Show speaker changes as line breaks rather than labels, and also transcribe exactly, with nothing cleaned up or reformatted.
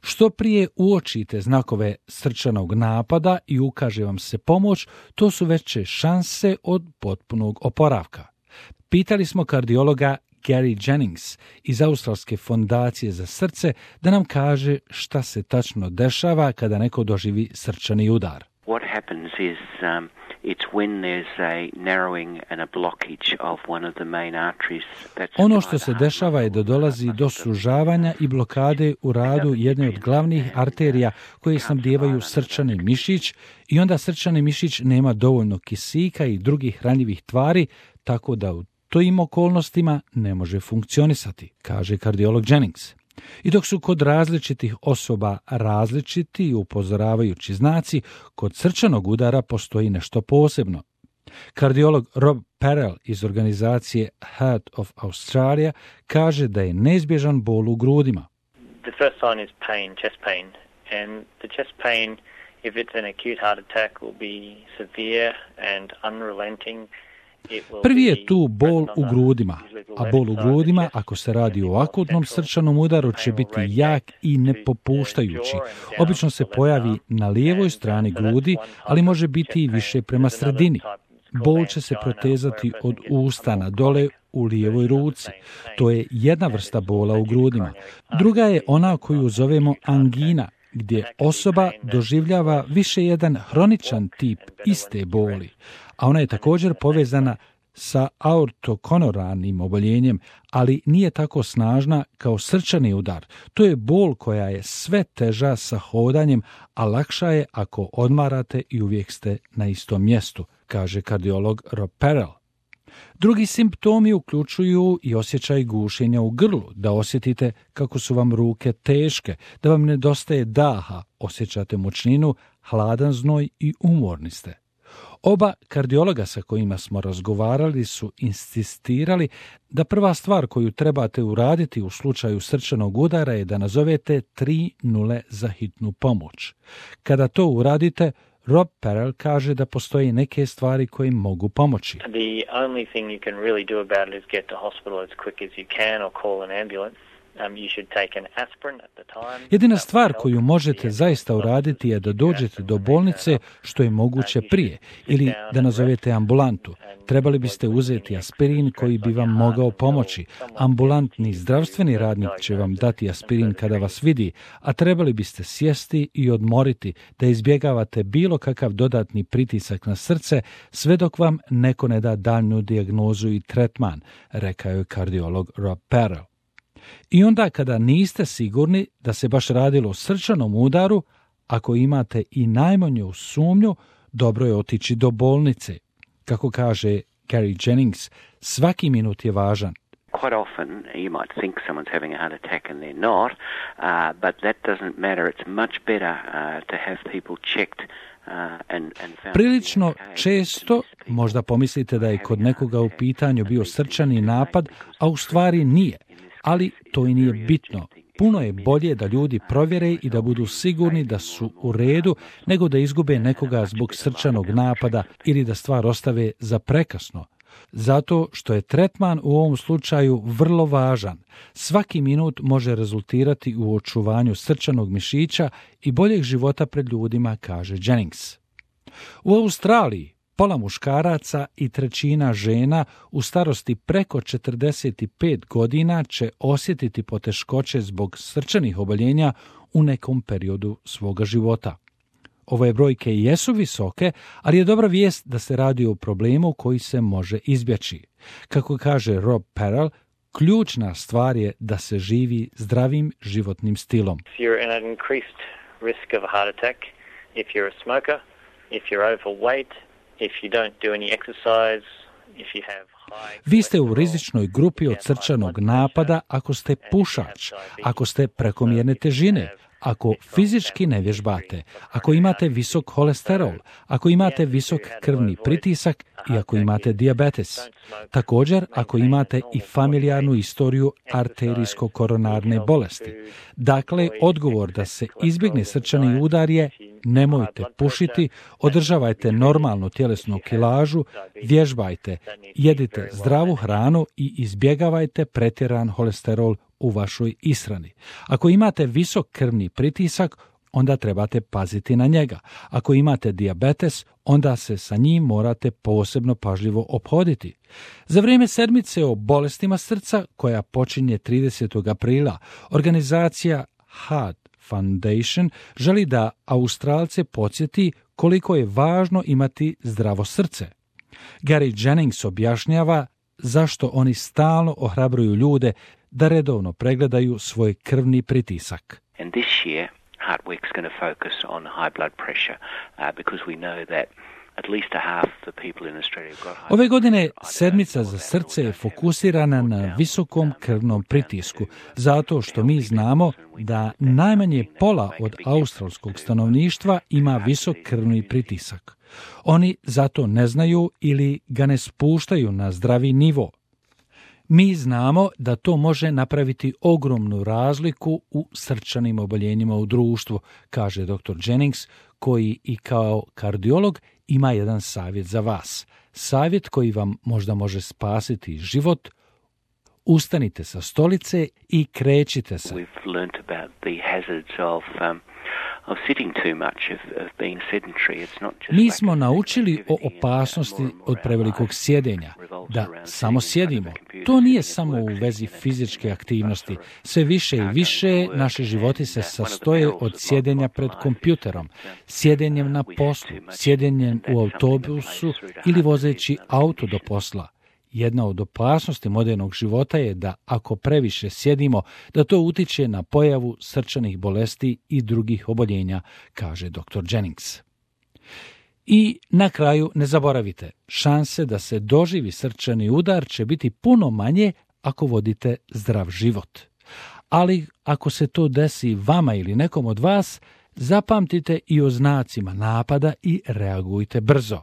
Što prije uočite znakove srčanog napada i ukaže vam se pomoć, to su veće šanse od potpunog oporavka. Pitali smo kardiologa Gary Jennings iz Australske fondacije za srce da nam kaže šta se tačno dešava kada neko doživi srčani udar.
What happens is um, it's when there's a narrowing and a blockage of one of the main arteries.
Ono što se dešava je da dolazi do sužavanja i blokade u radu jedne od glavnih arterija koje snabdijevaju srčani mišić i onda srčani mišić nema dovoljno kisika i drugih hranjivih tvari, tako da u tojim okolnostima ne može funkcionisati, kaže kardiolog Jennings. I dok su kod različitih osoba različiti i upozoravajući znaci, kod srčanog udara postoji nešto posebno. Kardiolog Rob Perel iz organizacije Heart of Australia kaže da je neizbježan bol u grudima.
The first sign is pain, chest pain, and the chest pain, if it's an acute heart attack, will be severe and unrelenting.
Prvi je tu bol u grudima, a bol u grudima, ako se radi o akutnom srčanom udaru, će biti jak i nepopuštajući. Obično se pojavi na lijevoj strani grudi, ali može biti i više prema sredini. Bol će se protezati od usta na dole u lijevoj ruci. To je jedna vrsta bola u grudima. Druga je ona koju zovemo angina, gdje osoba doživljava više jedan hroničan tip iste boli, a ona je također povezana sa aortokoronarnim oboljenjem, ali nije tako snažna kao srčani udar. To je bol koja je sve teža sa hodanjem, a lakša je ako odmarate i uvijek ste na istom mjestu, kaže kardiolog Rob Perel. Drugi simptomi uključuju i osjećaj gušenja u grlu, da osjetite kako su vam ruke teške, da vam nedostaje daha, osjećate mučninu, hladan znoj i umorni ste. Oba kardiologa sa kojima smo razgovarali su insistirali da prva stvar koju trebate uraditi u slučaju srčanog udara je da nazovete tri nule za hitnu pomoć. Kada to uradite, Rob Perel kaže da postoje neke stvari koje mogu pomoći.
The only thing you can really do about it is get to hospital as quick as you can or call an ambulance. Um, you should take an aspirin at the time.
Jedina stvar koju možete zaista uraditi je da dođete do bolnice što je moguće prije ili da nazovete ambulantu. Trebali biste uzeti aspirin koji bi vam mogao pomoći. Ambulantni zdravstveni radnik će vam dati aspirin kada vas vidi, a trebali biste sjesti i odmoriti da izbjegavate bilo kakav dodatni pritisak na srce sve dok vam neko ne da daljnju dijagnozu i tretman, rekao je kardiolog Rob Perel. I onda kada niste sigurni da se baš radilo o srčanom udaru, ako imate i najmanju sumnju, dobro je otići do bolnice. Kako kaže Gary Jennings, svaki minut je važan.
Quite often you might think someone's having a heart attack and they're not, uh, but that doesn't matter. It's much better uh, to have people checked.
Prilično često možda pomislite da je kod nekoga u pitanju bio srčani napad, a u stvari nije. Ali to i nije bitno. Puno je bolje da ljudi provjere i da budu sigurni da su u redu, nego da izgube nekoga zbog srčanog napada ili da stvar ostave za prekasno. Zato što je tretman u ovom slučaju vrlo važan. Svaki minut može rezultirati u očuvanju srčanog mišića i boljeg života pred ljudima, kaže Jennings. U Australiji pola muškaraca i trećina žena u starosti preko četrdeset pet godina će osjetiti poteškoće zbog srčanih oboljenja u nekom periodu svoga života. Ove brojke jesu visoke, ali je dobra vijest da se radi o problemu koji se može izbjeći. Kako kaže Rob Perel, ključna stvar je da se živi zdravim životnim stilom.
If you're in an increased risk of a heart attack, if you're a smoker, if you're overweight, if you don't do any exercise, if you have high...
Vi ste u rizičnoj grupi od srčanog napada ako ste pušač, ako ste prekomjerne težine, ako fizički ne vježbate, ako imate visok holesterol, ako imate visok krvni pritisak i ako imate dijabetes. Također, ako imate i familijarnu istoriju arterijsko-koronarne bolesti. Dakle, odgovor da se izbjegne srčani udar je nemojte pušiti, održavajte normalnu tjelesnu kilažu, vježbajte, jedite zdravu hranu i izbjegavajte pretjeran holesterol u vašoj ishrani. Ako imate visok krvni pritisak, onda trebate paziti na njega. Ako imate dijabetes, onda se sa njim morate posebno pažljivo ophoditi. Za vrijeme sedmice o bolestima srca, koja počinje tridesetog aprila, organizacija Heart Foundation želi da Australce podsjeti koliko je važno imati zdravo srce. Gary Jennings objašnjava zašto oni stalno ohrabruju ljude da redovno pregledaju svoj krvni pritisak.
And this year, Heart Week's going to focus on high blood pressure uh, because we know that at least a half the people in Australia have got high.
Ove godine sedmica za srce je fokusirana na visokom krvnom pritisku, zato što mi znamo da najmanje pola od australskog stanovništva ima visok krvni pritisak. Oni zato ne znaju ili ga ne spuštaju na zdravi nivo. Mi znamo da to može napraviti ogromnu razliku u srčanim oboljenjima u društvu, kaže doktor Jennings, koji i kao kardiolog ima jedan savjet za vas. Savjet koji vam možda može spasiti život. Ustanite sa stolice i krećite se.
We've learnt about the hazards of um, of sitting too much, of, of being sedentary. It's not just
Mi smo naučili o opasnosti od prevelikog sjedenja, da samo sjedimo. To nije samo u vezi fizičke aktivnosti. Sve više i više naši životi se sastoje od sjedenja pred kompjuterom, sjedenjem na poslu, sjedenjem u autobusu ili vozeći auto do posla. Jedna od opasnosti modernog života je da ako previše sjedimo, da to utiče na pojavu srčanih bolesti i drugih oboljenja, kaže doktor Jennings. I na kraju ne zaboravite, šanse da se doživi srčani udar će biti puno manje ako vodite zdrav život. Ali ako se to desi vama ili nekom od vas, zapamtite i o znacima napada i reagujte brzo.